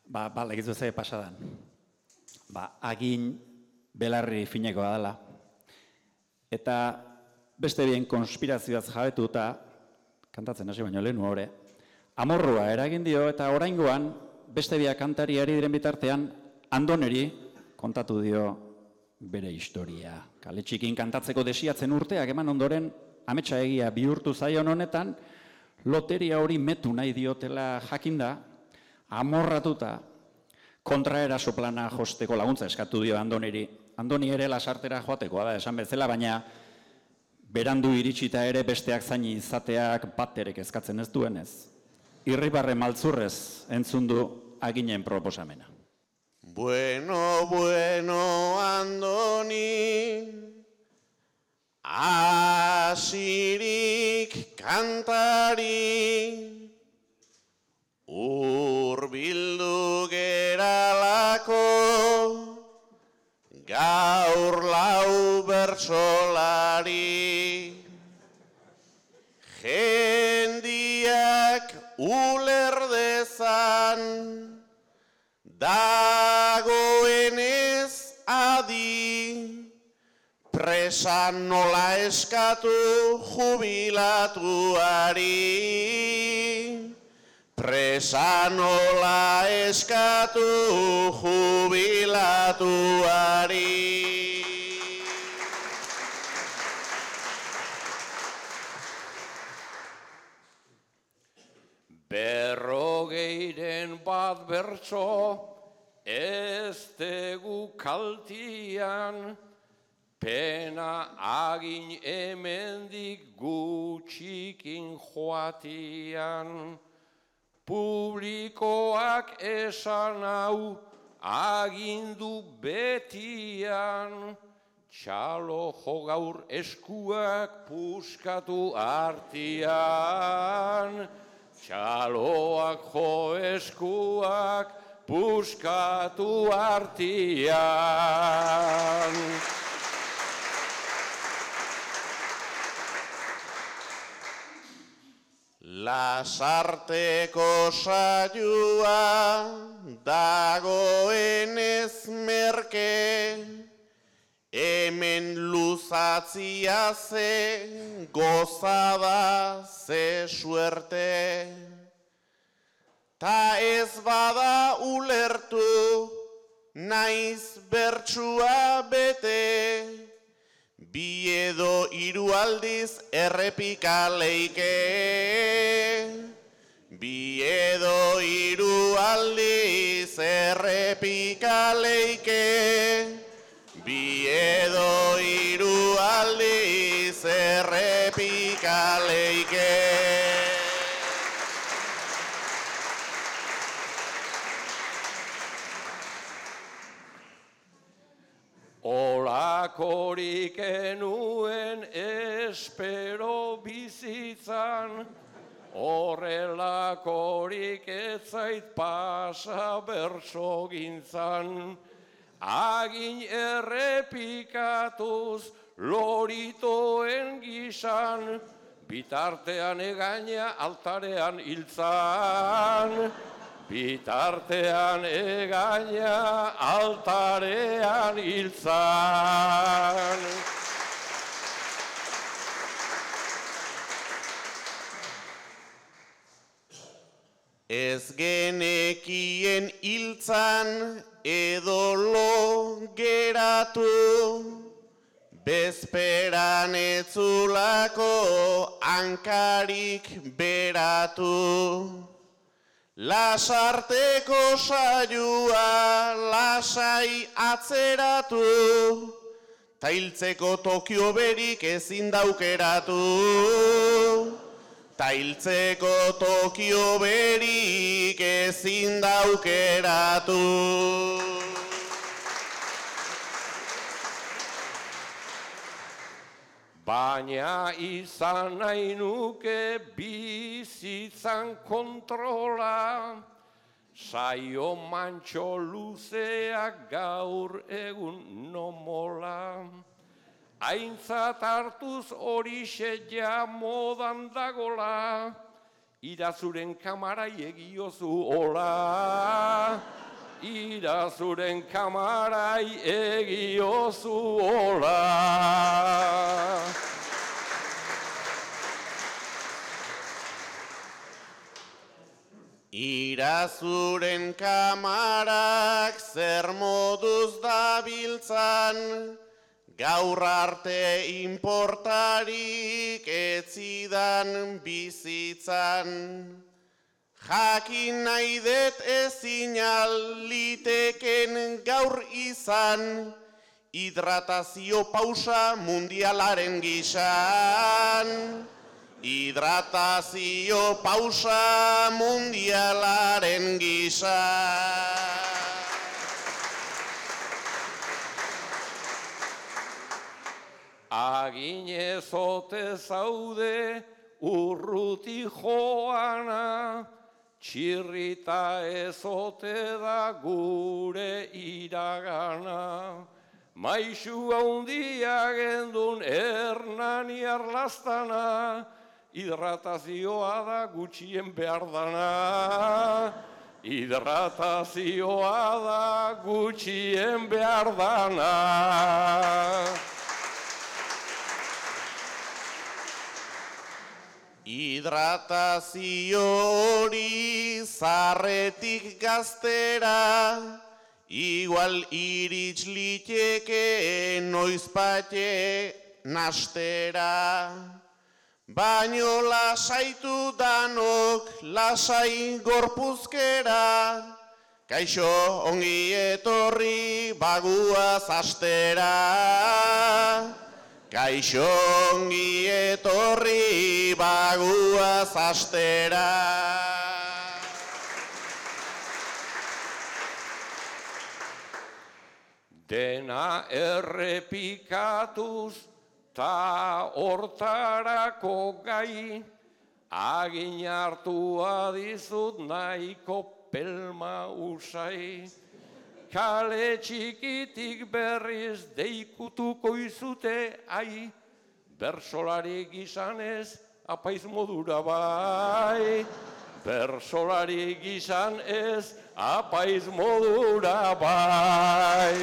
Legizu ze pasadan. Agin belarri finekoa dela. Eta beste bien konspirazioaz jabetuta, kantatzen hasi baino lehenu hore, amorrua eragin dio eta oraingoan beste biak kantariari diren bitartean Andoneri kontatu dio bere historia. Kale txikin kantatzeko desiatzen urteak eman ondoren ametsa egia bihurtu zaion honetan, loteria hori metu nahi diotela jakinda, amorratuta kontraeraso plana josteko laguntza eskatu dio Andoneri. Andoni ere lasartera joatekoa da esan bezala, baina berandu iritsita ere besteak zaini izateak baterek eskatzen ez duenez. Irribarre maltzurrez entzun du aginen proposamena. Bueno, bueno, Andoni, asirik kantari, urbildu geralako, gaur lau bertsolari. Jendiak ulerdezan, dagoenez adi, presa nola eskatu jubilatuari. Presa nola eskatu jubilatuari. Berrogeiren bat bertso, ez tegu kaltian, pena agin hemendik gutxikin joatian. Publikoak esan hau agindu betian, txalo jo gaur eskuak puskatu artian. Txaloak jo eskuak puskatu artian. Lasarteko saioa dagoenez merke, hemen luzatzia ze gozada ze suerte. Ta ez bada ulertu naiz bertsua bete, bi edo hiru aldiz errepika leike. Bi edo hiru aldiz errepika leike. Bi edo hiru aldiz errepika leike. Olakorik enuen espero bizitzan, horrelakorik ez zait pasa bertsogintzan. Agin errepikatuz loritoen gisan, bitartean egaina altarean hiltzan. Bitartean egaina altarean hiltzan. Ez genekien hiltzan edo lo geratu, bezperan etzulako hankarik beratu. Lasarteko saioa lasai atzeratu, ta hiltzeko tokio berik ezin daukeratu. Ta hiltzeko tokio berik ezin daukeratu. Baina izan nahi nuke bizitzan kontrola, saio mantxo luzeak gaur egun nomola. Aintzat hartuz horixe ja modan dagola, irazuren kamarai egiozu hola. Irazuren kamarai egiozu hola. Irazuren kamarak zer moduz dabiltzan, gaur arte inportarik etzidan bizitzan. Jakin nahi dut ezin liteken gaur izan, hidratazio pausa mundialaren gisan. Hidratazio pausa mundialaren gisan. Aginez ote zaude urruti joana, txirrita ezote da gure iragana. Maixu handia gendun Hernani arlastana, hidratazioa da gutxien behar dana. Hidratazioa da gutxien behar dana. Hidratazio hori zarretik gaztera, igual irits liteke noizpate nastera. Baino lasaitu danok lasai gorpuzkera, kaixo ongi etorri baguaz astera. Kaixo ongi etorri baguaz astera. Dena errepikatuz ta hortarako gai, agin hartua dizut nahiko pelma usai. Kale txikitik berriz deikutuko izute, ai, bersolari gizanez apaiz modura bai. Bersolari gizanez apaiz modura bai.